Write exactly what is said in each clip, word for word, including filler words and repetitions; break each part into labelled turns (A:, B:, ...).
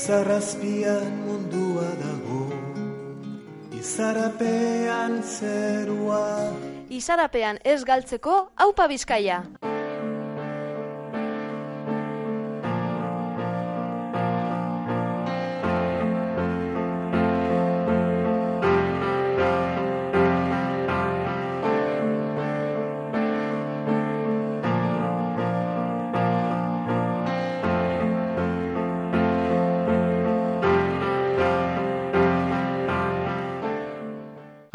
A: Izarrazpian mundua dago, izarapean zerua.
B: Izarapean ez galtzeko, aupa Bizkaia!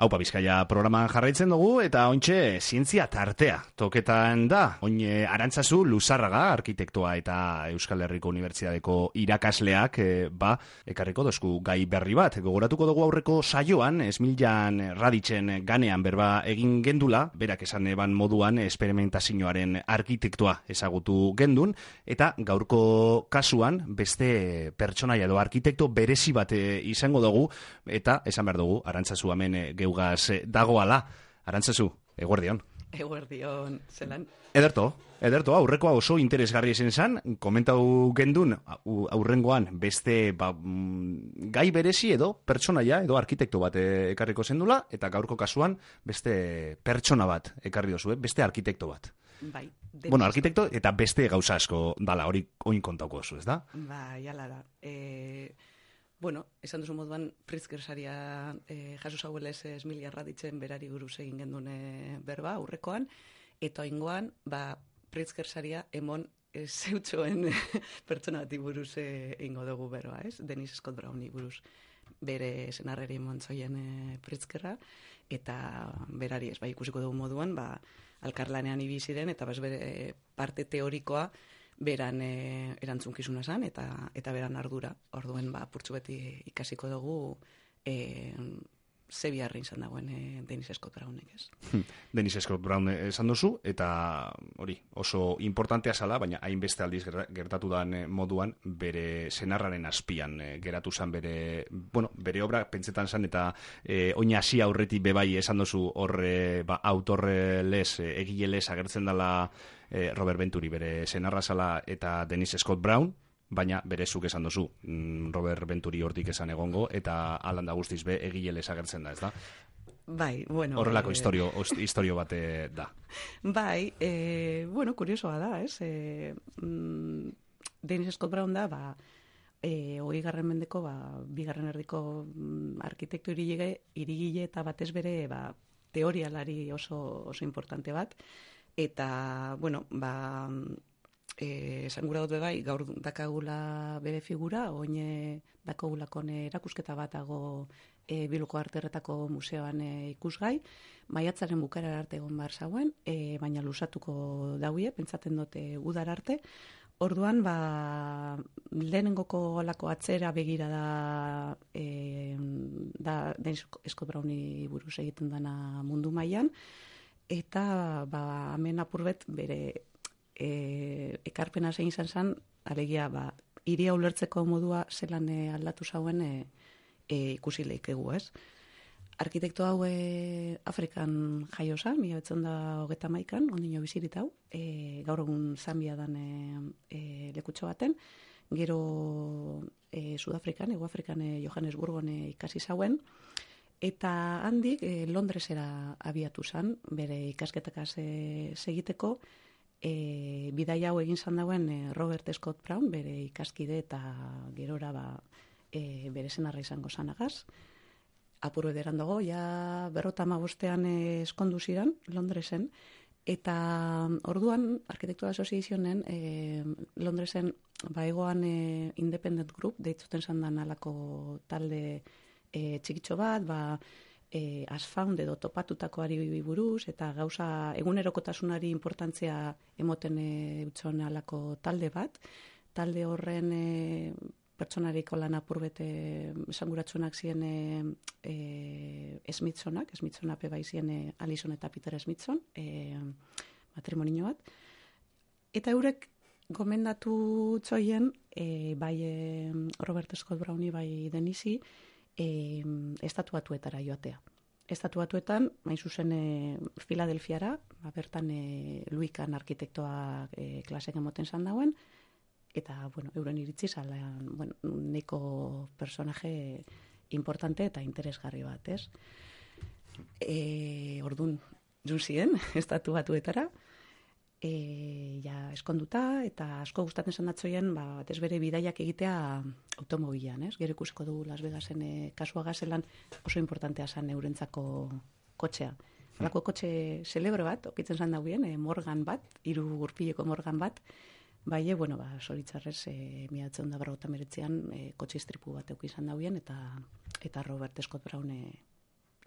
C: Aupa Bizkaia programan jarraitzen dugu eta ointxe zientzia tartea toketan da. Oin Arantzazu Luzarraga, arkitektoa eta Euskal Herriko Unibertsitateko irakasleak, e, ba, ekarriko dozku gai berri bat. Gogoratuko dugu aurreko saioan, Esmiljan Raditzen ganean berba egin gendula, berak esan eban moduan esperimentazioaren arkitektoa ezagutu gendun, eta gaurko kasuan beste pertsonaia edo arkitekto berezi bat izango dugu, eta esan behar dugu, Arantzazu hemen geugaz dagoala. Arantzazu, eguerdion.
D: Eguerdion, zelan.
C: Ederto, ederto, aurrekoa oso interesgarri esen zan, komentau gendun aurrengoan beste ba, gai berezi edo pertsonaia edo arkitekto bat ekarriko zendula, eta gaurko kasuan beste pertsona bat ekarri dozu, eh? Beste arkitekto bat.
D: Bai.
C: Bueno, arkitekto eta beste gauza asko dala, hori oin kontauko oso, ez da?
D: Bai, jala da. E... Bueno, esan duzu moduan, Pritzker saria eh, jaso zauelez Esmiljan Raditzen berari buruz egin gendune berba, aurrekoan, eta oingoan, ba, Pritzker saria emon e, zeutxoen pertsona bati buruz egingo dugu berba, ez? Dennis Scott Browni buruz bere senarreri montzoien e, Pritzkerra, eta berari ez, ba, ikusiko dugu moduan, ba, alkarlanean ibiziren, eta bas bere parte teorikoa, beran e, erantzunkizuna zan, eta eta beran ardura. Orduen, ba, purtsu beti ikasiko dugu e, ze biharrein zan dagoen e, Dennis Scott Brownek, ez?
C: Dennis Scott Brown esan duzu, eta hori, oso importantea zala, baina hainbeste aldiz gertatu dan moduan, bere senarraren azpian e, geratu zan bere, bueno, bere obra pentsetan zan, eta e, oin hasi aurretik bebai esan duzu horre, ba, autorre les, e, egile les agertzen dela E, Robert Venturi bere senarra zala eta Dennis Scott Brown, baina bere zuk esan duzu Robert Venturi hortik esan egongo, eta alanda guztiz be egile agertzen da, ez da?
D: Bai, bueno...
C: Horrelako
D: e...
C: historio, historio bate da.
D: Bai, e, bueno, kuriosoa da, ez? E, mm, Dennis Scott Brown da, ba, e, hogei garren mendeko, ba, bigarren erdiko mm, arkitekto irigile, irigile eta batez bere, ba, teorialari oso, oso importante bat, eta, bueno, ba, e, esan gura dut bai, gaur dakagula bere figura, oine dakagulakon erakusketa batago e, Bilboko Arterretako museoan e, ikusgai, maiatzaren bukara arte egon behar zauen, e, baina lusatuko dauie, pentsaten dute udar arte. Orduan, ba, lehenengoko lako atzera begira da, e, da Dennis Scott Browni buruz egiten dana mundu mailan, eta ba, hemen apurbet bere e, ekarpena zein izan zen, alegia ba, iria ulertzeko modua zelan e, aldatu zauen e, e, ikusi leikegu, ez? Arkitekto hau e, Afrikan jaio zen, mila betzen da hogeta maikan, ondino bizirit hau, e, gaur egun Zambia dan e, e, lekutxo baten, gero e, Sudafrikan, Ego Afrikan e, Johannesburgon e, ikasi zauen, eta handik e, Londresera abiatu zen, bere ikasketakaz e, segiteko, e, bidaia hau egin zan dauen e, Robert Scott Brown, bere ikaskide eta gerora ba, e, bere senarra izango zanagaz. Apuru ederan dago, ja berrota amabostean e, eskondu ziren Londresen, eta orduan Arkitektura Associationen e, Londresen baigoan e, Independent Group, deitzuten zandan alako talde E, txikitxo bat, ba, e, asfound edo topatutakoari buruz, eta gauza egunerokotasunari importantzia emoten e, utxon alako talde bat. Talde horren e, pertsonariko lan apurbete esanguratsunak ziren e, e, Smithsonak, Smithsonape bai ziren e, Alison eta Peter Smithson, e, matrimonio bat. Eta eurek gomendatu txoien, e, bai e, Robert Scott Browni, bai Denisi, E, estatuatuetara joatea. Estatuatuetan, main zuzen e, Filadelfiara, ba, bertan e, Louis Kahn arkitektoa e, klasek emoten zan dauen, eta, bueno, euren iritzi zalan, bueno, neko personaje importante eta interesgarri bat, ez? E, ordun, jun ziren, estatu batuetara, e, ja eskonduta, eta asko gustatzen zanatzoien, ba, batez bere bidaiak egitea automobilan, ez? Gero ikusiko dugu Las Vegasen e, kasua gazelan oso importantea zan eurentzako kotxea. Halako kotxe celebre bat, okitzen zan dauen, e, Morgan bat, hiru gurpileko Morgan bat, bai, bueno, ba, zoritzarrez, e, miratzen da berrogota meretzean, e, kotxe istripu bat eukizan dauen, eta, eta Robert Scott Brown e,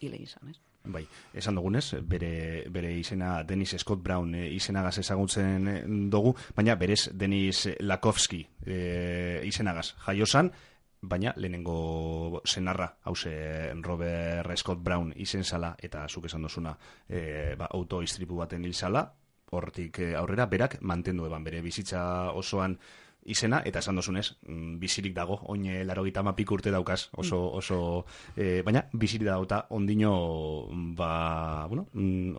D: hile izan, ez?
C: Bai, esan dugunez, bere, bere izena Dennis Scott Brown e, izenagaz ezagutzen dugu, baina berez Dennis Lakovsky e, izenagaz jaiosan, baina lehenengo senarra, hause Robert Scott Brown izen zala, eta zuk esan dozuna e, ba, autoistripu baten hil zala, hortik aurrera, berak mantendu eban bere bizitza osoan izena, eta esan dozunez, bizirik dago, oin larogeita hamapik urte daukaz, oso, oso, e, baina bizirik dauta ondino, ba, bueno,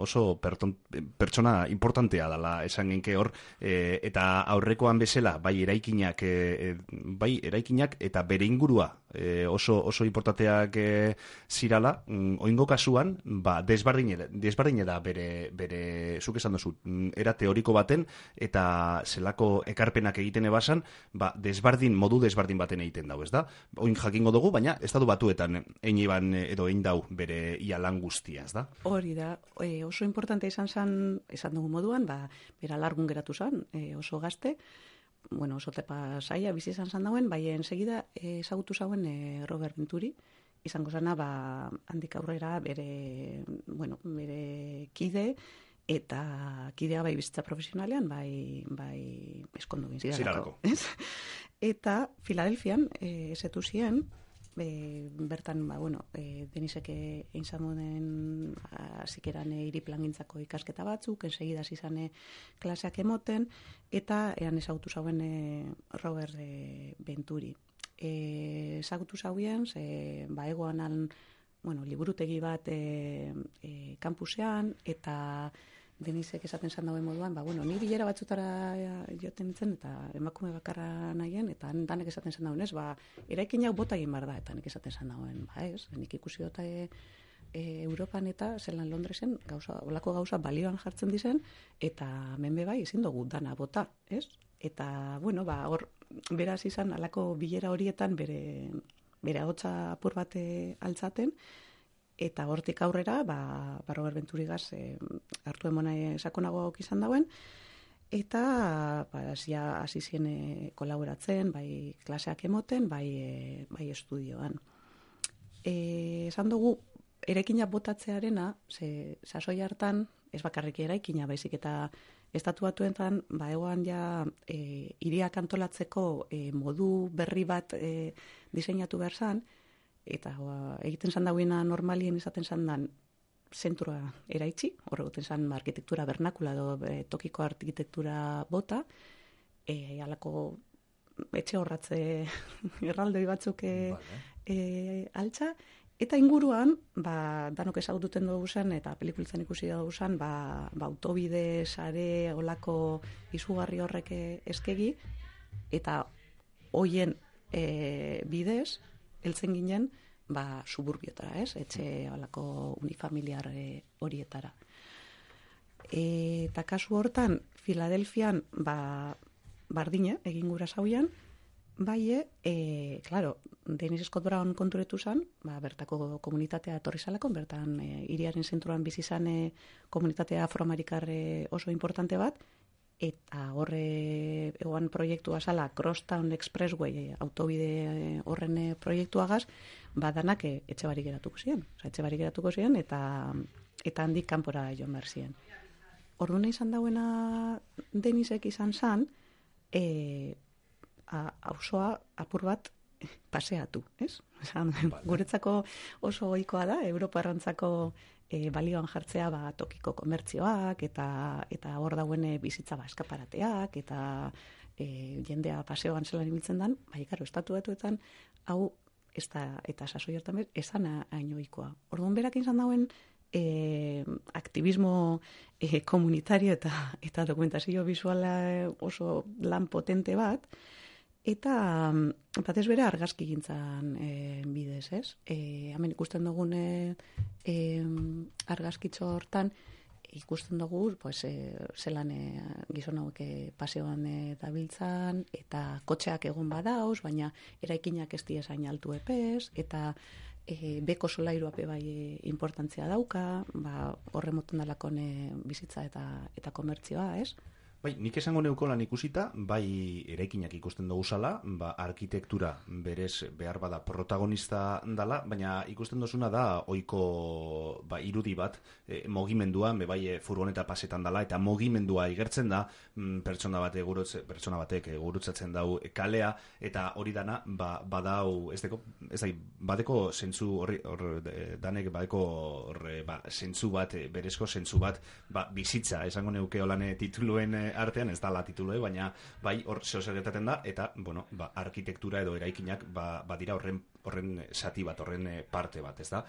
C: oso perton, pertsona importantea dala esan genke hor, e, eta aurrekoan bezala, bai eraikinak, e, bai eraikinak, eta bere ingurua, e, oso, oso importanteak e, zirala, oingo kasuan, ba, desbardine, desbardine da bere, bere, zuk esan dozu, era teoriko baten, eta zelako ekarpenak egiten ebasan, ba, desbardin, modu desbardin baten egiten dau, ez da? Oin jakingo dugu, baina estatu batuetan ein iban edo ein dau bere ia lan guztia, ez da?
D: Hori da, e, oso importante izan zan, esan dugu moduan, ba, bera largun geratu zan, e, oso gazte, bueno, oso tepa saia, bizi izan zan dauen, bai ensegida ezagutu zauen e, Robert Venturi, izango zana, ba, handik aurrera bere, bueno, bere kide, eta kidea bai bizitza profesionalean, bai, bai eskondu gintzidalako. Eta Filadelfian, e, esetu zien, e, bertan, ba, bueno, e, Denisek egin zamoden azikeran e, iriplagintzako ikasketa batzuk, ensegida zizane klaseak emoten, eta ean ezagutu zauen e, Robert e, Venturi. E, ezagutu zauen, ze, ba, egoan al, bueno, liburutegi bat e, e, kampusean, eta Denisek esaten zan dauen moduan, ba, bueno, ni bilera batzutara joten nintzen, eta emakume bakarra nahien, eta danek esaten zan dauen, ez, ba, eraikin hau bota egin behar da, eta nik esaten zan dauen, ba, ez, nik ikusi dota e, e, Europan eta zelan Londresen, gauza, olako gauza balioan jartzen dizen, eta menbe bai, ezin dugu dana bota, ez? Eta, bueno, ba, hor, beraz izan, alako bilera horietan bere, bere ahotsa apur bat altzaten, eta hortik aurrera, ba, ba Robert Venturigaz e, hartu emona sakonago izan dauen, eta ba, ja, hasi zien e, kolaboratzen, bai klaseak emoten, bai, e, bai estudioan. E, esan dugu, eraikina botatzearena, ze sasoi hartan, ez bakarrik eraikina, baizik eta estatu batuetan, ba, egoan ja e, hiriak antolatzeko e, modu berri bat e, diseinatu behar zan, eta ba, egiten zan dauena normalien izaten zan dan zentrua eraitzi, horregoten zan arkitektura bernakula edo e, tokiko arkitektura bota, e, alako etxe horratze erraldoi batzuk e, vale. e, altza, eta inguruan, ba, danok ezagututen dugu zen, eta pelikulitzen ikusi dugu zen, ba, ba, autobide, sare, olako izugarri horrek eskegi, eta hoien e, bidez, heltzen ginen, ba, suburbiotara, ez? Etxe olako unifamiliar e, horietara. E, eta kasu hortan, Filadelfian, ba, bardine, egin gura zauian, bai, e, claro, Dennis Scott Brown konturetu zan, ba, bertako komunitatea etorri zalako, bertan e, hiriaren zentruan bizi zan e, komunitatea afroamerikar oso importante bat, eta horre egoan proiektua zala Crosstown Expressway autobide horren proiektuagaz, badanak e, etxe barik geratuko ziren. Osa, etxe barik geratuko ziren, eta, eta handik kanpora joan behar ziren. Orduan izan dauena Denisek izan zan, e, auzoa apur bat paseatu, ez? Esan, guretzako oso ohikoa da, Europarrantzako e, balioan jartzea ba, tokiko komertzioak, eta eta hor dauen bizitza ba, eskaparateak, eta e, jendea paseoan zelan ibiltzen dan, bai, karo, estatu batuetan, hau, ez da, eta sasoi hortan bez, esan hain ohikoa. Orduan berak izan dauen, E, aktivismo e, komunitario eta, eta dokumentazio visuala oso lan potente bat, eta batez bere argazki gintzan e, bidez, ez? E, hemen ikusten dugune e, argazkitxo hortan, ikusten dugu, pues, e, zelan e, gizon hauek e, paseoan e, dabiltzan, eta kotxeak egon badauz, baina eraikinak ez diezain altu epez, eta e, beko solairuape bai e, importantzia dauka, ba, horre moten dalakon e, bizitza eta, eta komertzioa, ez?
C: Bai, nik esango neuko lan ikusita, bai eraikinak ikusten dugu zala, ba, arkitektura berez behar bada protagonista dala, baina ikusten duzuna da ohiko ba, irudi bat, e, mogimendua, be bai e, furgoneta pasetan dala, eta mogimendua igertzen da, mm, pertsona, bate gurutze, pertsona batek gurutzatzen dau kalea, eta hori dana, ba, badau, ez deko, ez da, badeko zentzu horri, hor, danek badeko horre, ba, zentzu bat, berezko zentzu bat, ba, bizitza, esango neuke holane tituluen artean, ez da la titulue, baina bai hor zeo zer gertatzen da, eta, bueno, ba, arkitektura edo eraikinak ba, badira horren, horren sati bat, horren parte bat, ez da?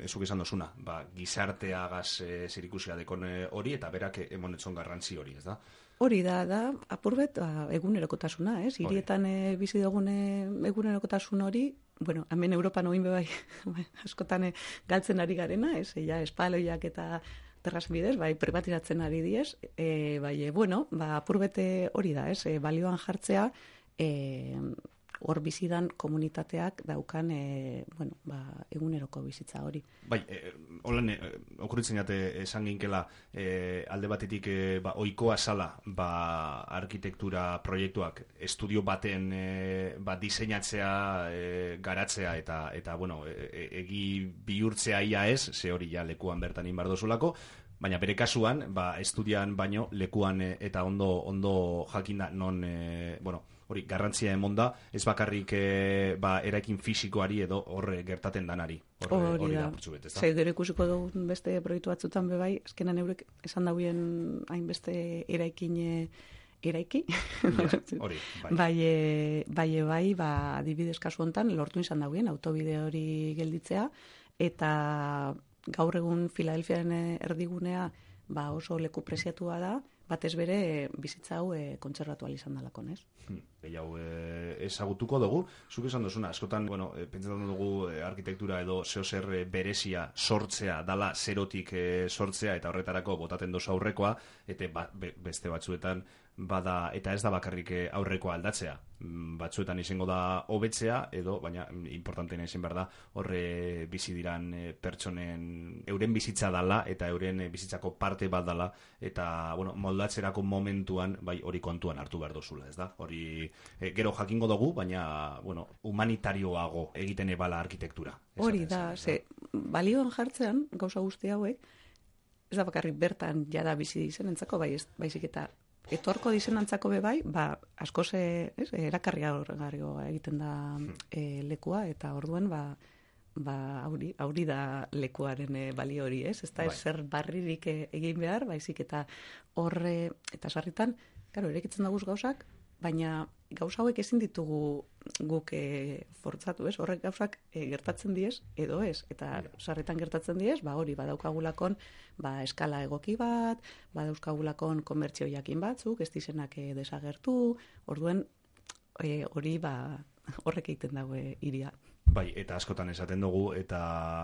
C: Ezuk esan dozuna, ba, gizarteagaz e, zerikusia dekon hori, eta berak emonetzon garrantzi hori, ez da?
D: Hori da, da, apurbet, ba, egunerokotasuna, ez? Hirietan e, bizi dugune egunerokotasun hori, bueno, hemen Europan oin bai, askotan e, galtzen ari garena, ez? Ja, espaloiak eta terraz bidez, bai, privatiratzen ari diez, e, bai, e, bueno, ba, apurbete hori da, ez? E, balioan jartzea, e, hor bizidan komunitateak daukan e, bueno, ba, eguneroko bizitza hori.
C: Bai, e, holan, e, okuritzen jate esan ginkela e, alde batetik e, ba, oikoa sala ba, arkitektura proiektuak estudio baten e, ba, diseinatzea, e, garatzea eta, eta bueno, e, egi bihurtzea ia ez, ze hori ja lekuan bertan inbardozulako, baina bere kasuan, ba, estudian baino lekuan e, eta ondo, ondo jakinda non, e, bueno, hori garrantzia emonda, ez bakarrik e, ba, eraikin fisikoari edo horre gertaten danari. Horre, hori, hori da, purtsu bet, ez da?
D: Zer, gero ikusiko dugu beste proiektu batzutan bebai, azkenan eurek esan dauen hainbeste eraikin eraiki.
C: Ja, hori, bai.
D: bai, e, bai, e, bai, ba, adibidez kasu hontan, lortu izan dauen autobide hori gelditzea, eta gaur egun Filadelfiaren erdigunea ba, oso leku preziatua da, batez bere bizitza hau e, kontserbatu izan dalakon, ez?
C: Hmm, hau e, ezagutuko dugu, zuk esan duzuna, askotan, bueno, e, pentsatzen dugu e, arkitektura edo zeo zer e, berezia sortzea, dala zerotik e, sortzea, eta horretarako botaten dozu aurrekoa, eta ba, be, beste batzuetan bada, eta ez da bakarrik aurrekoa aldatzea. Batzuetan izango da hobetzea, edo, baina importanteena izan behar da, horre bizi diran pertsonen, euren bizitza dala, eta euren bizitzako parte bat dala, eta, bueno, moldatzerako momentuan, bai, hori kontuan hartu behar dozula, ez da? Hori, e, gero jakingo dugu, baina, bueno, humanitarioago egiten ebala arkitektura.
D: Hori da, ze, balioan jartzean, gauza guzti hauek, ez da bakarrik bertan jada bizi dizenentzako, bai, baizik eta etorko dizenantzako be bai, ba, asko ze, ez, erakarriagarrioa egiten da e, lekua, eta orduen, ba, ba, hauri, hauri da lekuaren e, balio hori, ez? Ez da, bai. Zer barririk egin behar, baizik eta horre, eta sarritan, claro, erekitzen daguz gauzak, baina gauza hauek ezin ditugu guk e, fortzatu, ez? Horrek gauzak e, gertatzen diez, edo ez, eta sarritan gertatzen diez, ba hori, badaukagulakon, ba eskala egoki bat, badaukagulakon komertzio jakin batzuk, ez dizenak e, desagertu, orduen e, hori, ba, horrek egiten dago e, iria.
C: Bai, eta askotan esaten dugu, eta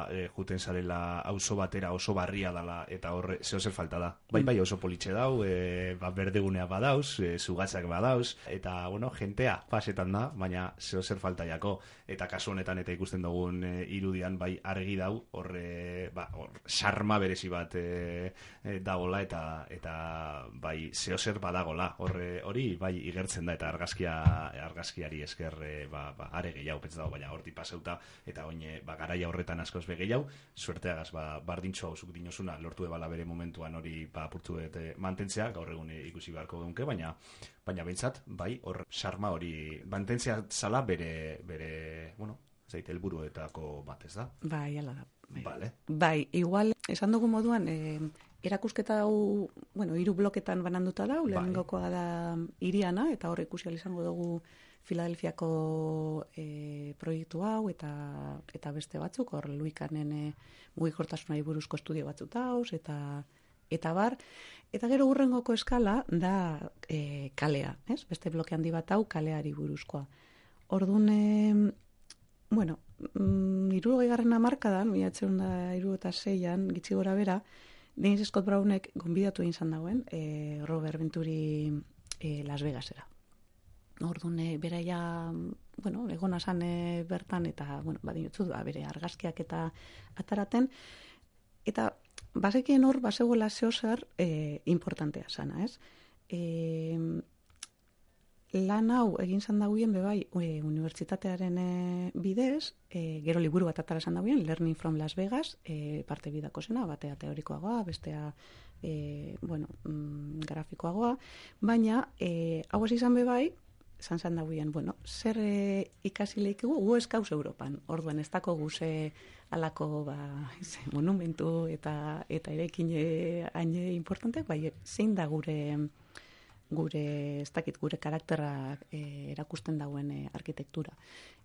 C: e, juten zarela auzo batera oso barria dala, eta horre, zeo zer falta da. Bai, bai, oso politxe dau, e, ba, berdegunea badauz, e, zugatzak badauz, eta, bueno, jentea pasetan da, baina zeo zer falta jako. Eta kasu honetan, eta ikusten dugun e, irudian, bai, argi dau, horre, ba, hor, sarma berezi bat e, e, dagola, eta, eta bai, zeo zer badagola, horre, hori, bai, igertzen da, eta argazkia, argazkiari esker, e, ba, ba, are gehiago, pentsa dago, baina horti paseu eta oin ba, garaia horretan askoz begeiau, suerteagaz ba, bardintxo hau zuk dinosuna lortu ebala bere momentuan hori ba, purtu eta mantentzea, gaur egun ikusi beharko dunke, baina baina behintzat, bai, hor sarma hori mantentzea zala bere, bere bueno, zaite helburuetako bat, ez da?
D: Bai, ala da. Bai.
C: Vale.
D: Bai, igual, esan dugu moduan, eh, erakusketa hau, bueno, hiru bloketan bananduta da, lehenengokoa da iriana, eta hor ikusi ahal izango dugu Filadelfiako e, proiektu hau eta eta beste batzuk, hor Luikanen e, mugikortasunari buruzko estudio batzuk dauz, eta eta bar, eta gero hurrengoko eskala da e, kalea, ez? Beste bloke handi bat hau kaleari buruzkoa. Orduan, e, bueno, mm, hirurogei garren hamarkadan, mila bederatziehun eta hirurogeita seian, gitxi gora bera, Dennis Scott Brownek gonbidatu egin zan dauen, e, Robert Venturi e, Las Vegasera. Orduan, e, bera ja, bueno, egona zan e, bertan, eta, bueno, badinotzu, ba, bere argazkiak eta ataraten, eta bazekien hor, bazegoela zeozer e, importantea zana, ez? E, lan hau egin zan dagoen, bebai, e, unibertsitatearen e, bidez, e, gero liburu bat atara zan dagoen, Learning from Las Vegas, e, parte bidako zena, batea teorikoagoa, bestea, e, bueno, mm, grafikoagoa, baina, e, hau ez izan bebai, zan zan dagoen, bueno, zer e, ikasi lehikigu, gu eskauz Europan, orduan ez dako guze alako ba, ze, monumentu eta eta erekin haine importanteak, bai, zein da gure gure, ez dakit, gure karakterra e, erakusten dauen e, arkitektura.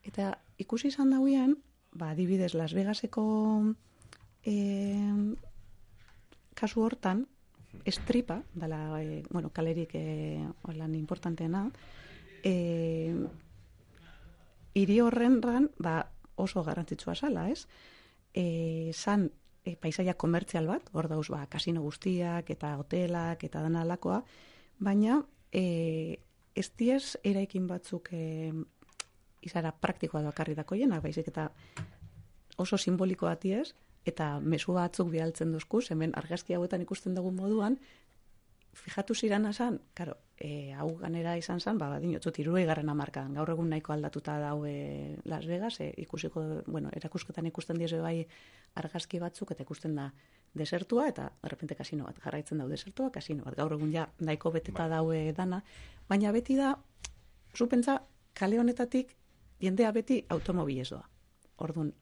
D: Eta ikusi izan dauen, ba, adibidez, Las Vegaseko e, kasu hortan, estripa, dala, e, bueno, kalerik e, lan importanteena, e, hiri horrenran, ba, oso garrantzitsua zala, ez? E, zan e, paisaia komertzial bat, hor dauz, ba, kasino guztiak, eta hotelak, eta dana alakoa, baina e, ez diez eraikin batzuk e, izara praktikoa doakarri dakoienak, baizik eta oso simboliko batiez, eta mezu batzuk bialtzen duzkuz, hemen argazki hauetan ikusten dugun moduan, fijatu zirana zan, karo, e, hau ganera izan zan, ba, badinotzut, hirurogei garren hamarkadan, gaur egun nahiko aldatuta daue Las Vegas, e, ikusiko, bueno, erakusketan ikusten diez bai argazki batzuk, eta ikusten da desertua, eta errepente kasino bat, jarraitzen dau desertua, kasino bat, gaur egun ja nahiko beteta ba. daue dana, baina beti da, zupentza, kale honetatik, jendea beti automobilez doa. Orduan,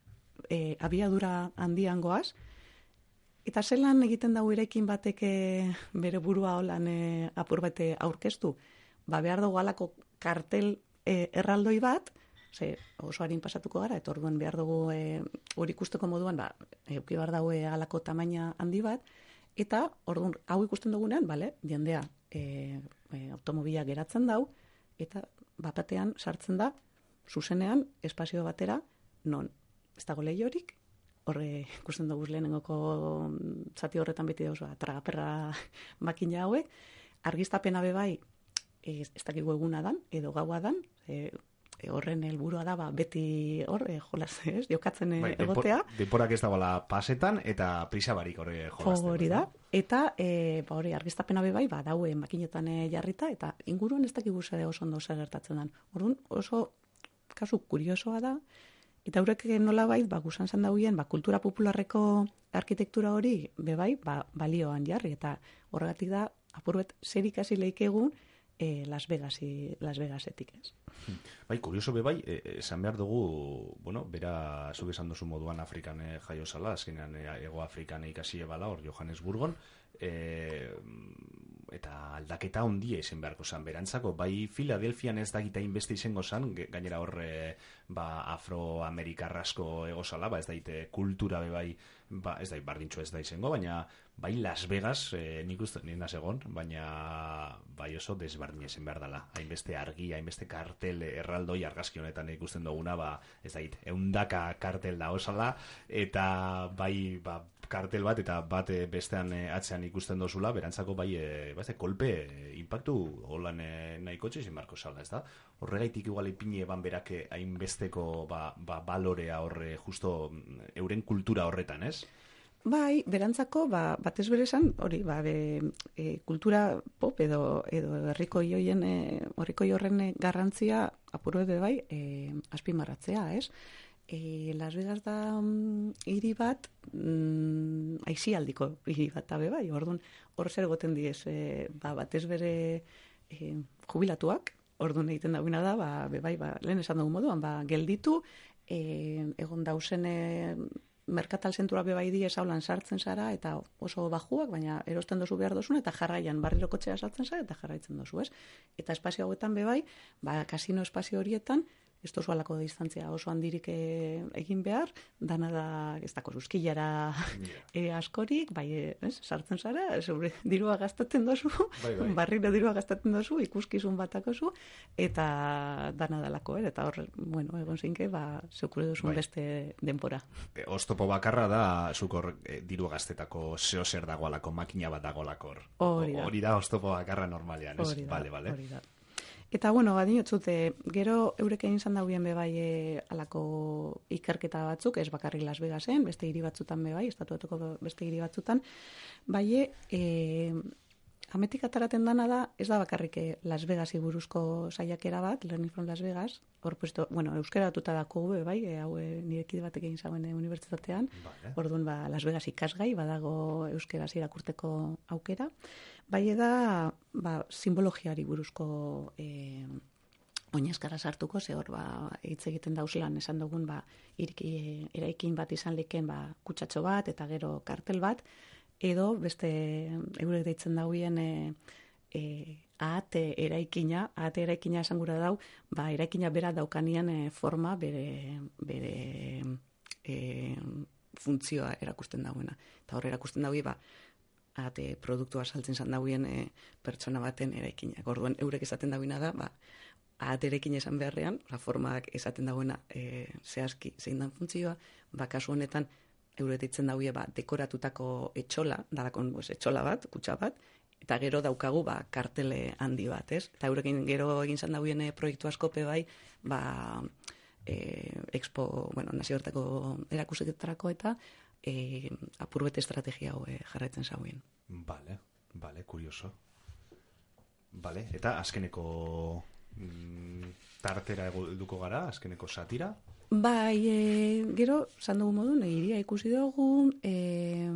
D: e, abiadura handian goaz, eta zelan egiten dago irekin bateke bere burua holan e, apur bete aurkeztu, ba behar dugu alako kartel e, erraldoi bat, ze oso harin pasatuko gara, eta orduan behar dugu e, hori ikusteko moduan, ba, euki behar dago alako tamaina handi bat, eta orduan hau ikusten dugunean, bale, jendea e, e, automobila geratzen dau, eta bapatean sartzen da, zuzenean, espazio batera, non, ez dago lehiorik, horre ikusten dugu lehenengoko zati horretan beti dauz, tragaperra makina hauek, argiztapena bebai, ez, ez dakigu eguna dan, edo gaua dan, e, e, horren helburua da, ba, beti hor, e, jolaz, ez, jokatzen bai, egotea.
C: Deporak ez dagoela pasetan, eta prisa barik horre jolazten.
D: Hori da, eta e, ba, hori argiztapena bebai, ba, daue makinetan e, jarrita, eta inguruan ez dakigu zer oso ondo zer gertatzen dan. Orduan, oso kasu kuriosoa da, eta horrek nola bait, ba, gusan zan dauen, ba, kultura popularreko arkitektura hori, bebai, ba, balioan jarri, eta horregatik da, apurbet, zer ikasi leikegun, e, Las Vegasi, Las Vegasetik ez.
C: Bai, kurioso bebai, esan behar dugu, bueno, bera, zuk esan duzu moduan Afrikan e, jaio zala, azkenean e, Ego Afrikan ikasi ebala, hor Johannesburgon, e, eta aldaketa ondia izen beharko zan berantzako, bai Filadelfian ez dakita inbeste izango zan, gainera hor e, ba, afroamerikarrasko egozala, ba ez daite kultura bebai, ba ez dait bardintxo ez da izango, baina bai Las Vegas, e, nik uste nien egon, baina bai oso desbardin izen behar dela, hainbeste argi, hainbeste kartel erraldoi argazki honetan ikusten duguna, ba ez dait, eundaka kartel da osala, eta bai, ba, kartel bat eta bat bestean atzean ikusten dozula, berantzako bai, e, ba, kolpe, e, impactu holan e, nahiko txezin marko zala, ez da? Horregaitik igual ipini eban berak hainbesteko ba, ba, balorea horre, justo euren kultura horretan, ez?
D: Bai, berantzako, ba, batez berezan, hori, ba, be, e, kultura pop edo, edo herriko joien, e, horriko horren garrantzia apuru edo bai, e, azpimarratzea, ez? E, Las Vegas da um, hiri bat, mm, aizialdiko hiri bat, tabe bai, orduan, hor zer goten diez, e, ba, batez bere e, jubilatuak, orduan egiten dagoena da, ba, be bai, ba, lehen esan dugu moduan, ba, gelditu, e, egon dausen e, merkatal zentura bebai diez haulan sartzen zara, eta oso bajuak, baina erosten dozu behar dozun, eta jarraian barriro kotxea sartzen zara, eta jarraitzen dozu, ez? Eta espazio hauetan bebai, ba, kasino espazio horietan, ez tozu alako distantzia oso handirik e, egin behar, dana da, ez dako zuzkilara e, askorik, bai, ez, sartzen zara, sobre, dirua gastatzen dozu, bai, bai. barriro dirua gastatzen dozu, ikuskizun batakozu, eta dana dalako, er, eta hor, bueno, egon zinke, ba, zeukure duzun bai. beste denbora.
C: E, oztopo bakarra da, zukor e, dirua gastetako zeo zer dagoalako, makina bat dagoalako hor. Hori da. Hori da oztopo bakarra normalean, ez?
D: Hori da,
C: vale, vale.
D: hori da. Eta, bueno, badinotzute, gero eureken izan dauen bebai e, alako ikerketa batzuk, ez bakarrik Las Vegasen, beste hiri batzutan bebai, estatuatuko beste hiri batzutan, bai, e, ametik ataraten dana da, ez da bakarrik Las Vegasi buruzko saiakera bat, Learning from Las Vegas, hor puesto, bueno, euskera batuta dako be, bai, e, hau e, nirekide batek egin zauen e, unibertsitatean, vale. Orduan, ba, Las Vegas ikasgai, badago euskera irakurteko aukera, bai da, ba, simbologiari buruzko e, oinazkara sartuko, ze hor, ba, hitz egiten dauzlan, esan dugun, ba, iriki, eraikin bat izan liken, ba, kutsatxo bat, eta gero kartel bat, edo, beste, eurek deitzen dauen, e, e, ahate eraikina, ahate eraikina esan gura dau, ba, eraikina bera daukanian e, forma, bere, bere e, funtzioa erakusten dauena. Eta hor erakusten daue, ba, ate produktua saltzen zan dauen e, pertsona baten eraikinak. Orduan, eurek esaten dauena da, ba, ate eraikin esan beharrean, oza, formak esaten dauena e, zehazki zein dan funtzioa, ba, kasu honetan, eurek ditzen daue, ba, dekoratutako etxola, dalakon, pues, etxola bat, kutsa bat, eta gero daukagu, ba, kartele handi bat, ez? Eta eurekin gero egin zan dauen e, proiektu askope bai, ba, e, expo, bueno, nazioarteko erakusetarako eta E, apurbete estrategia hau e, jarraitzen zauen.
C: Vale, vale, kurioso. Vale, eta azkeneko mm, tartera eduko gara, azkeneko satira?
D: Bai, e, gero, zan dugu modun, egiria ikusi dugu, e,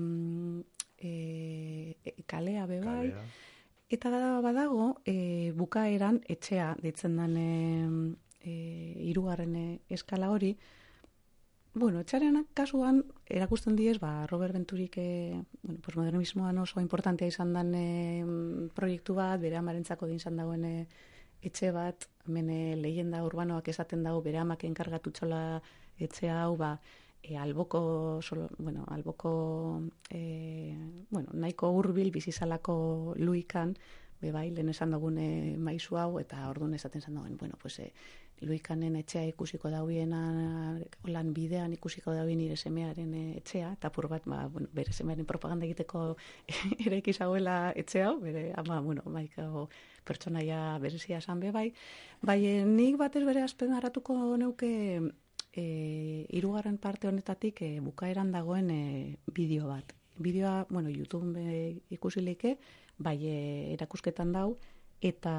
D: e, kalea bebai, kalea. Eta badago, e, bukaeran etxea ditzen den e, e, irugarren eskala hori. Bueno, etxaren kasuan erakusten diez, ba, Robert Venturik e, bueno, pues modernismoan oso importantea izan den e, proiektu bat, bere amarentzako din izan dauen e, etxe bat, hemen e, leyenda urbanoak esaten dago, bere amak enkargatu txola etxe hau, ba, e, alboko, solo, bueno, alboko, e, bueno, nahiko hurbil bizizalako luikan, bebai, lehen esan dugun e, maizu hau, eta orduan esaten zan dagoen, bueno, pues, e, luikanen etxea ikusiko dauiena, lan bidean ikusiko dauen nire semearen etxea, eta apur bat, ba, bueno, bere semearen propaganda egiteko ere ikizauela etxe hau, bere, ama, bueno, baiko pertsonaia berezia esan be bai, bai, nik batez bere azpen haratuko neuke e, hirugarren parte honetatik e, bukaeran dagoen e, bideo bat. Bideoa, bueno, YouTube e, ikusileke, bai, e, erakusketan dau, eta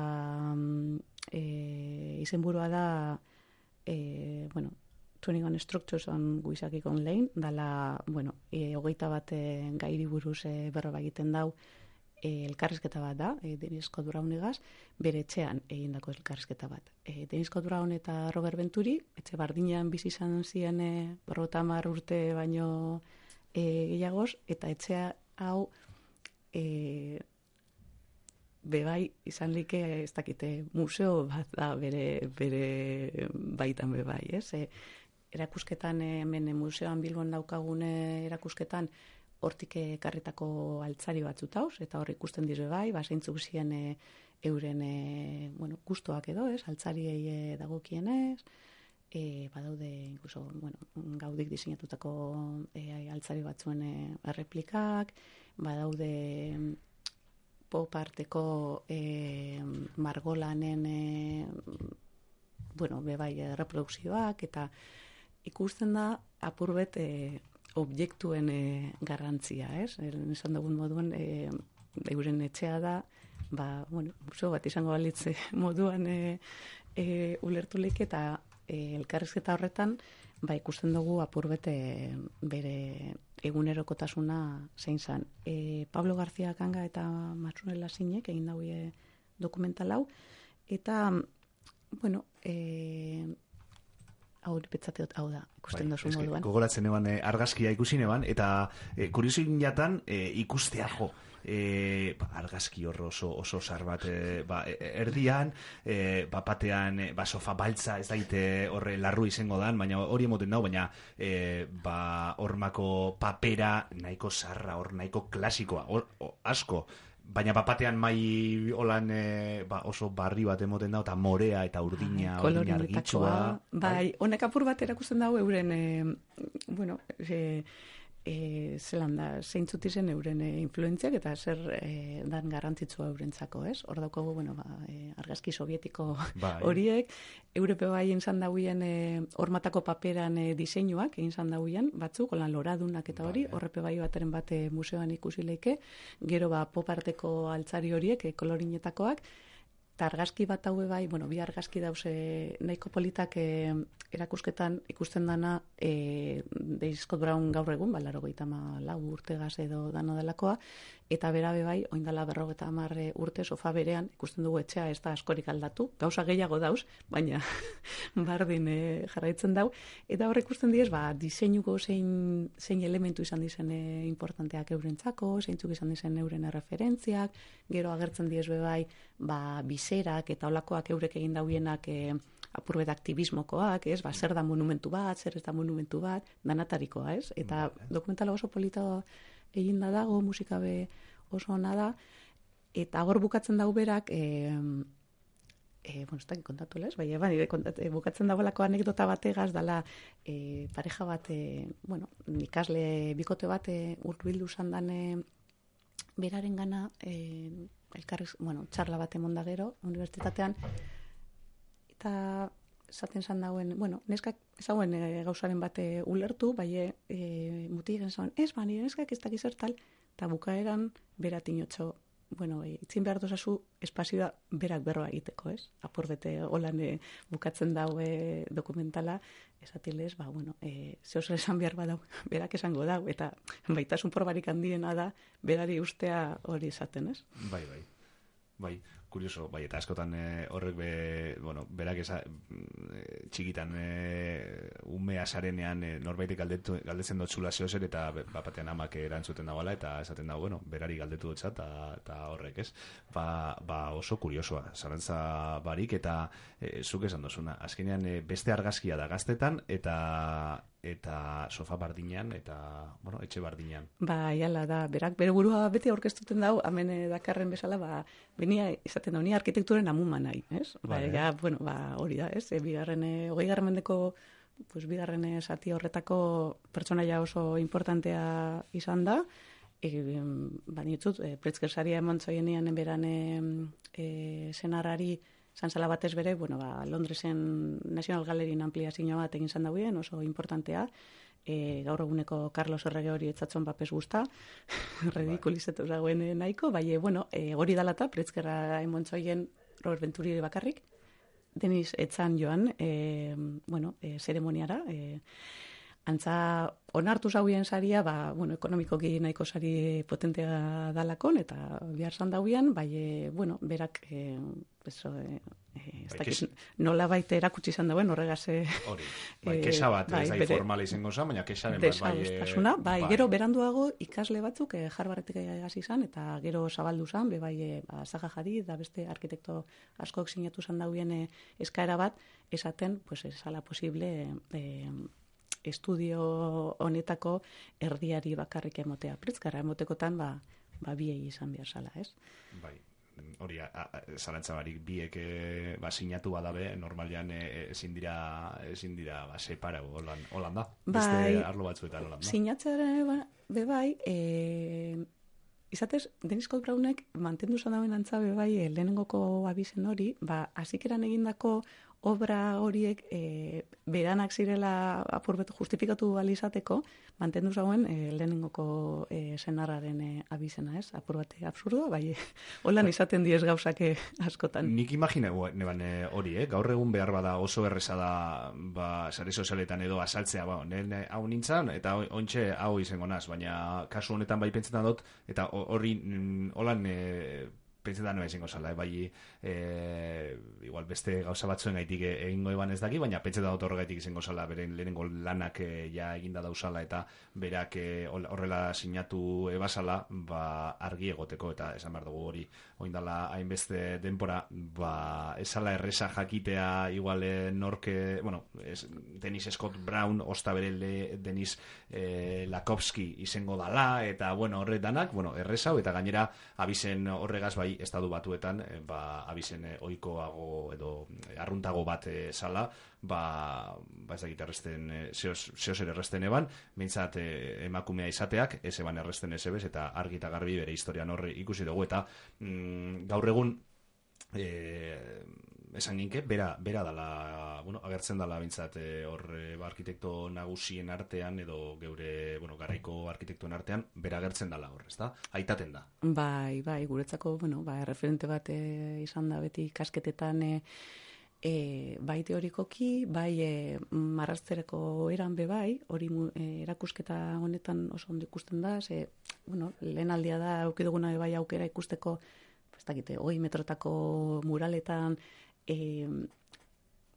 D: e, izenburua da e, bueno, Tuning on Structures on Guisakik Online, dala, bueno, e, hogeita bat e, gairi buruz e, berroba egiten dau, e, elkarrizketa bat da, e, Dennis Scott Brownegaz, bere etxean egindako elkarrizketa bat. E, Dennis Scott Brown eta Robert Venturi, etxe bardinean bizi izan ziren e, berrota hamar urte baino e, gehiagoz, eta etxea hau e, bebai izan like ez dakite museo bat da bere, bere baitan bebai, ez? E, erakusketan hemen museoan Bilbon daukagune erakusketan hortik ekarritako altzari batzut hauz, eta hor ikusten dizu bai, ba, zeintzuk ziren e, euren e, bueno, gustoak edo, ez? Altzariei e, dagokienez, e, badaude, incluso, bueno, gaudik diseinatutako e, altzari batzuen e, erreplikak, badaude pop arteko e, margolanen e, bueno, bebai reprodukzioak, eta ikusten da apurbet e, objektuen e, garrantzia, ez? Esan dugun moduan, e, euren etxea da, ba, bueno, museo bat izango balitze moduan e, e, ulertulik, eta e, elkarrizketa horretan, ba, ikusten dugu apurbet e, bere egunerokotasuna zein zan. E, Pablo García Kanga eta Matsunela Zinek egin daue dokumental hau, eta, bueno, e, hau betzateot, hau da, ikusten
C: bai,
D: dozu
C: eske,
D: moduan.
C: gogoratzen eban e, argazkia ikusi neban, eta e, kuriosin jatan e, ikustea jo. E, ba, argazki horro oso, oso zar bat e, ba, e, erdian, e, ba, batean e, ba, sofa baltza ez daite horre larru izango dan, baina hori emoten dau, baina e, ba, hormako papera nahiko zarra, hor nahiko klasikoa, hor, o, asko, baina bapatean mai holan e, ba, oso barri bat emoten da, eta morea eta urdina, urdina argitsua.
D: Bai, honek apur bat erakusten dago euren, e, bueno, e, e, zelan da, zeintzut izen euren e, influentziak eta zer e, dan garrantzitsua eurentzako, ez? Hor daukagu, bueno, ba, e, argazki sovietiko
C: bai. Horiek,
D: Europe bai egin zan dauien e, hormatako paperan e, diseinuak egin zan dauien, batzuk, holan loradunak eta hori, bai, horrepe bai bateren bate museoan ikusi leike, gero ba poparteko altzari horiek, e, kolorinetakoak, eta argazki bat haue bai, bueno, bi argazki dause nahiko politak e, erakusketan ikusten dana e, de Scott Brown gaur egun, ba, laurogeita lau urtegaz edo dano delakoa, eta berabe bai, oindala berrogeita hamar urte sofa berean, ikusten dugu etxea ez da askorik aldatu, gauza gehiago dauz, baina bardin e, jarraitzen dau, eta hor ikusten diez, ba, diseinuko zein, zein elementu izan dizen e, importanteak eurentzako, zeintzuk izan dizen euren referentziak, gero agertzen diez bebai, ba, biserak eta olakoak eurek egin dauienak e, apurbet aktivismokoak, ez, ba, zer da monumentu bat, zer ez da monumentu bat, danatarikoa, ez, eta vale, dokumentala oso polita egin da dago, musika be oso ona da, eta hor bukatzen dau berak, e, e, bueno, ez da kontatu lez, bai, bai, e, bukatzen dagoelako anekdota bategaz, dala e, pareja bat, e, bueno, ikasle bikote bat e, urbildu zandan e, beraren gana, e, elkarriz, bueno, txarla bat emonda gero, unibertsitatean, eta esaten zan dauen, bueno, neskak ezauen e, gauzaren bate ulertu, bai e, mutigen zauen, ez ba, nire neskak ez dakiz tal, eta bukaeran beratinotxo, bueno, e, itzin behar dozazu espazioa berak berroa egiteko, ez? Apurdete holan e, bukatzen daue dokumentala, esatilez, ba, bueno, e, zehozer esan behar badau, berak esango dau, eta baitasun probarik handiena da, berari ustea hori esaten, ez?
C: Bai, bai, bai. Kurioso, bai, eta askotan e, horrek be, bueno, berak eza, e, txikitan e, umea sarenean e, norbaitek galdetu, galdetzen dut zula zehozer, eta bapatean amak erantzuten dagoela, eta esaten dago, bueno, berari galdetu dut eta, eta horrek, ez? Ba, ba oso kuriosoa, zarantza barik, eta e, zuk esan dozuna, azkenean e, beste argazkia da gaztetan, eta eta sofa bardinean, eta, bueno, etxe bardinean.
D: Ba, jala da, berak, bere burua beti aurkeztuten dau, hemen dakarren bezala, ba, benia, izaten da, ni arkitekturen amuma nahi, ez? Ba, ja, bueno, ba, hori da, ez? E, bigarren, hogei garren mendeko, pues, bigarren zati horretako pertsonaia oso importantea izan da, e, ba, nitzut, e, Pritzker-saria emon zoienean enberan e, e, senarrari, zantzala batez bere, bueno, ba, Londresen National Galleryn ampliazio bat egin zan dauen, oso importantea, e, gaur eguneko Carlos Errege hori etzatzen papes guzta, redikulizetu zagoen nahiko, bai, bueno, e, hori dalata, Pritzkerra emontzoien Robert Venturi bakarrik, Denis etzan joan, e, bueno, e, zeremoniara, e, antza onartu zauien saria, ba, bueno, ekonomikoki nahiko sari potentea dalakon, eta bihar zan dauien, bai, e, bueno, berak, e, eso, e, e, ez dakiz, nola baita erakutsi izan dauen, horregaz... E,
C: hori, bai, kesa bat,
D: bai,
C: ez da informala izango zan, baina kesaren bat, bai...
D: Desagustasuna, bai, bai, gero beranduago ikasle batzuk, e, Harvardek egasi izan, eta gero zabaldu zan, be bai, e, ba, Zaha Hadid, da beste arkitekto askok sinatu zan dauen e, eskaera bat, esaten, pues, esala posible... E, estudio honetako erdiari bakarrik emotea. Pritzkerra emotekotan, ba, ba biei izan behar zala, ez?
C: Bai, hori, zalantza barik, biek e, ba, sinatu badabe, normalian ezin dira, ezin dira, ba, separa, holan, holan da. Beste
D: bai,
C: arlo batzuetan holan da.
D: Sinatzaren, ba, be bai, e, izatez, Denis Scott Brownek mantendu zan dauen antza be bai, e, lehenengoko abizen hori, ba, azikeran egindako obra horiek e, beranak zirela apurbetu justifikatu balizateko, mantendu zauen e, lehenengoko e, senarraren e, abizena, ez? Apurbate absurdoa, bai, holan izaten diez gauzak askotan.
C: Nik imagine, neban hori, eh? Gaur egun behar bada oso erreza da, ba, sare sozialetan edo asaltzea, ba, nire hau nintzen, eta ontxe hau izango naz, baina kasu honetan bai pentsetan dut, eta hori, holan... E, pentsen da noa izango zala, bai, e, igual beste gauza batzuen gaitik egingo eban ez daki, baina pentsen da horregaitik izango zala, beren lehenengo lanak e, ja eginda dauzala, eta berak e, horrela sinatu ebasala, ba, argi egoteko, eta esan behar dugu hori, oindala hainbeste denpora, ba, esala erresa jakitea, igual e, norke, bueno, es, Dennis Scott Brown, osta bere Denis e, Lakowski izango dala, eta, bueno, horretanak, bueno, erresa, eta gainera abizen horregaz bai estadu batuetan ba abizen ohikoago edo arruntago bat sala ba ba ez dakit erresten zeos ere erresten eban mintzat emakumea izateak ez eban erresten esebes eta argi eta garbi bere historian horre ikusi dugu eta mm, gaur egun eh esan ginke, bera, bera dala, bueno, agertzen dala bintzat hor e, ba, arkitekto nagusien artean edo geure, bueno, garaiko arkitektuen artean, bera agertzen dala hor, ezta? Aitaten da.
D: Bai, bai, guretzako, bueno, ba, referente bat e, izan da beti kasketetan e, e, bai teorikoki, bai e, marraztereko eran be bai, hori e, erakusketa honetan oso ondo ikusten da, ze, bueno, lehen aldia da, aukiduguna bai aukera ikusteko, ez dakite, hoi metrotako muraletan, E,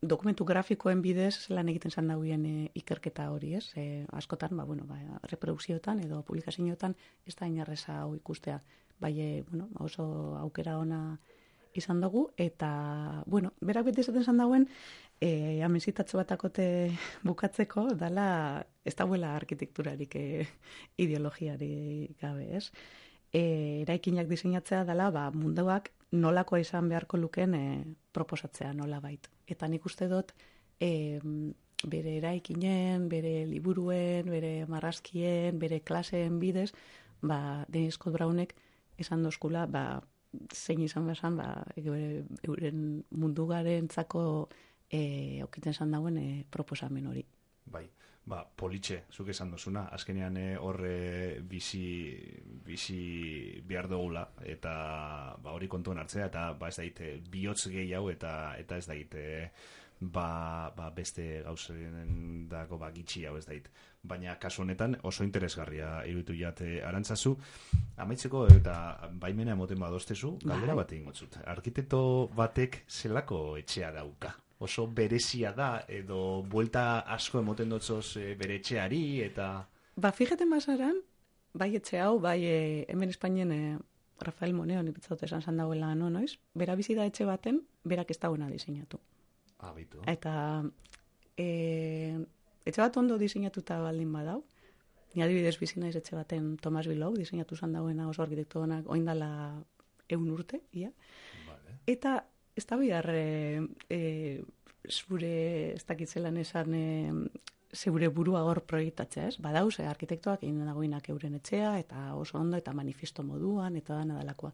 D: dokumentu grafikoen bidez lan egiten zan dauen e, ikerketa hori, ez? E, askotan, ba, bueno, ba, reprodukzioetan edo publikazioetan ez da inarreza hau ikustea. Bai, e, bueno, oso aukera ona izan dugu, eta, bueno, berak beti esaten zan dauen, e, amenzitatxo batakote bukatzeko, dala, ez dauela arkitekturarik e, ideologiari gabe, ez? E, eraikinak diseinatzea dela, ba, munduak nolakoa izan beharko luken e, proposatzea nola bait. Eta nik uste dut e, bere eraikinen, bere liburuen, bere marrazkien, bere klaseen bidez, ba, Dennis Scott Brownek esan dozkula, ba, zein izan bezan, ba, euren mundugaren txako e, okiten zan dauen e, proposamen hori.
C: Bai. Ba, politxe, zuk esan dozuna, azkenean horre bizi, bizi behar dugula, eta ba, hori kontuan hartzea, eta ba, ez daite, bihotz gehiago, eta eta ez daite, ba, ba, beste gauzen dago ba, gitxi hau ez dait. Baina kasu honetan oso interesgarria iruditu jate Arantzazu, amaitzeko eta baimena emoten badostezu, galdera bat egin gotzut. Arkitekto batek zelako etxea dauka? Oso berezia da, edo buelta asko emoten dotzoz e, bere etxeari, eta...
D: Ba, fíjate masaran, bai etxe hau, bai e, hemen Espainien e, Rafael Moneo, nipetzaut esan zan dagoela, no, noiz? Bera bizi da etxe baten, berak ez dagoena diseinatu.
C: Ah, bitu.
D: Eta e, etxe bat ondo diseinatuta baldin badau, ni adibidez bizi naiz etxe baten Tomas Bilou, diseinatu zan dagoena oso arkitekto honak, oindala eun urte, ia. Vale. Eta ez da bihar e, e, zure, ez dakitzelan esan, e, zeure burua hor proiektatzea, ez? Badauz, e, arkitektoak egin dagoinak euren etxea, eta oso ondo, eta manifesto moduan, eta dana dalakoa.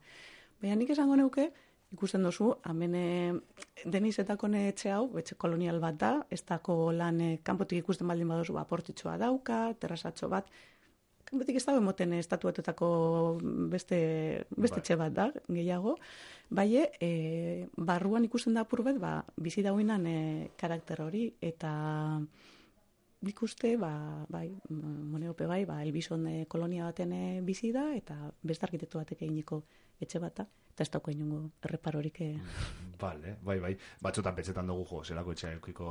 D: Baina nik esango neuke, ikusten dozu, hemen Denisetako etxe hau, etxe kolonial bat da, ez dako lan e, kanpotik ikusten baldin badozu, aportitxoa dauka, terrazatxo bat, kanpotik ez dago emoten estatuatuetako beste, beste etxe bat da, gehiago, bai, e, barruan ikusten da apur bat, ba, bizi dagoenan e, karakter hori, eta ikuste, ba, bai, Moneope bai, ba, Elbizon e, kolonia baten e, bizi da, eta beste arkitektu batek eginiko etxe bat da, eta ez dauko inongo erreparorik. E...
C: Vale, bai, bai. Batzotan pentsetan dugu, jo, zelako etxea eukiko,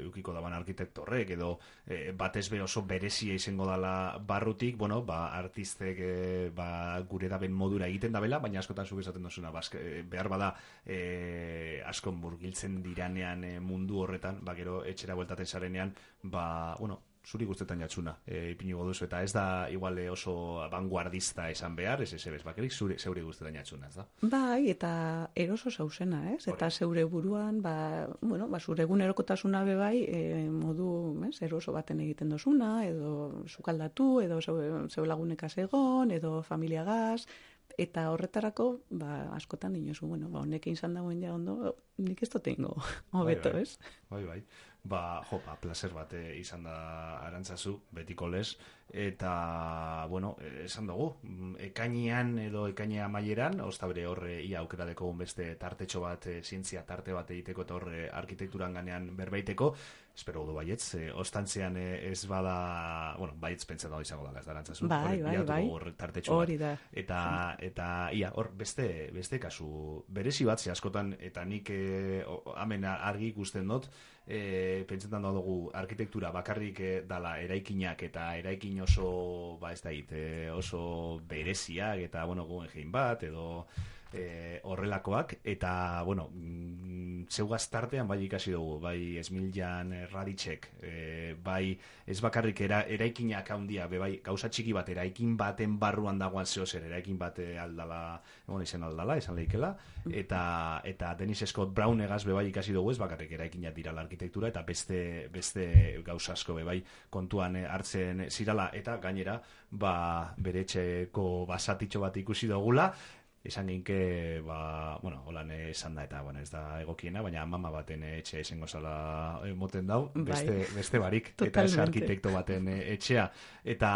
C: eukiko daban arkitekto horrek, edo e, batez be oso berezia izango dala barrutik, bueno, ba, artistek e, ba, gure daben modura egiten dabela, baina askotan zuk esaten duzuna, bazke, behar bada e, askon murgiltzen diranean e, mundu horretan, ba, gero etxera bueltaten zarenean, ba, bueno, zuri guztetan jatxuna, e, ipinigo duzu, eta ez da igual oso vanguardista esan behar, ez ez ebez bakerik, zure, zeure guztetan jatxuna, ez da?
D: Bai, eta eroso zauzena, ez? Hore. Eta zeure buruan, ba, bueno, ba, zure egunerokotasuna be bai, e, modu, ez, eroso baten egiten dozuna, edo sukaldatu, edo zeu lagunekaz egon, edo familiagaz, eta horretarako, ba, askotan inozu, bueno, ba, honek izan dagoen ja ondo, nik ez dotengo, hobeto,
C: bai, bai.
D: ez?
C: Bai, bai. Ba, jo, ba, placer bat eh, izan da Arantzazu, betiko lez, eta, bueno, esan dugu, ekainean edo ekainea maieran, ostabre horre ia aukera deko beste tartetxo bat, e, zientzia tarte bat egiteko eta horre arkitekturan ganean berbaiteko, espero du baietz, e, ostantzean e, ez bada, bueno, baietz pentsa da izango da, ez da Arantzazu.
D: Bai, bai, bai.
C: Hor tartetxo bat.
D: Hori da.
C: Eta, eta, ia, hor, beste, beste kasu, berezi bat, ze askotan, eta nik e, o, hemen argi ikusten dut, e, pentsetan da dugu arkitektura bakarrik e, dala eraikinak eta eraikin oso, ba ez da hit, e, oso bereziak eta, bueno, Guggenheim bat, edo e, horrelakoak, eta, bueno, mm, zeugaz tartean bai ikasi dugu, bai Esmiljan Radicek, e, bai ez bakarrik era, eraikinak handia, be bai gauza txiki bat, eraikin baten barruan dagoan zehozer, eraikin bat aldala, egon izen aldala, esan lehikela, eta, eta Dennis Scott Brown egaz be bai ikasi dugu, ez bakarrik eraikinak dirala arkitektura, eta beste, beste gauza asko be bai kontuan hartzen zirala, eta gainera, ba, bere etxeko basatitxo bat ikusi dugula, esan ginke, ba, bueno, holan esan da, eta, bueno, ez da egokiena, baina mama baten etxea izango zala moten dau, beste, bai. Beste barik, eta ez arkitekto baten etxea, eta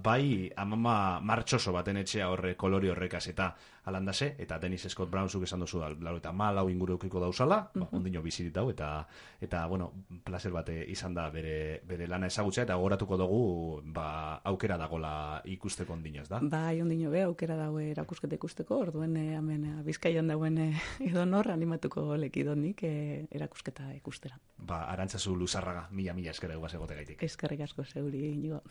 C: bai, amama martxoso baten etxea horre kolori horrekaz, eta alandase, eta Dennis Scott Brown zuk esan dozu, laro eta malau inguru eukiko dauzala, uh -huh. ba, ondino bizirit dau, eta, eta, bueno, placer bate izan da bere, bere lana ezagutzea, eta gogoratuko dugu, ba, aukera dagola ikusteko ondino, ez da?
D: Bai, ondino be, aukera dago erakusketa ikusteko, orduen eh, hemen Bizkaian dauen eh, edo nor animatuko lekidonik eh, erakusketa ikustera.
C: Ba, Arantzazu Luzarraga, mila mila eskerrik asko egote gaitik.
D: Eskerrik asko zeuri, Inigo.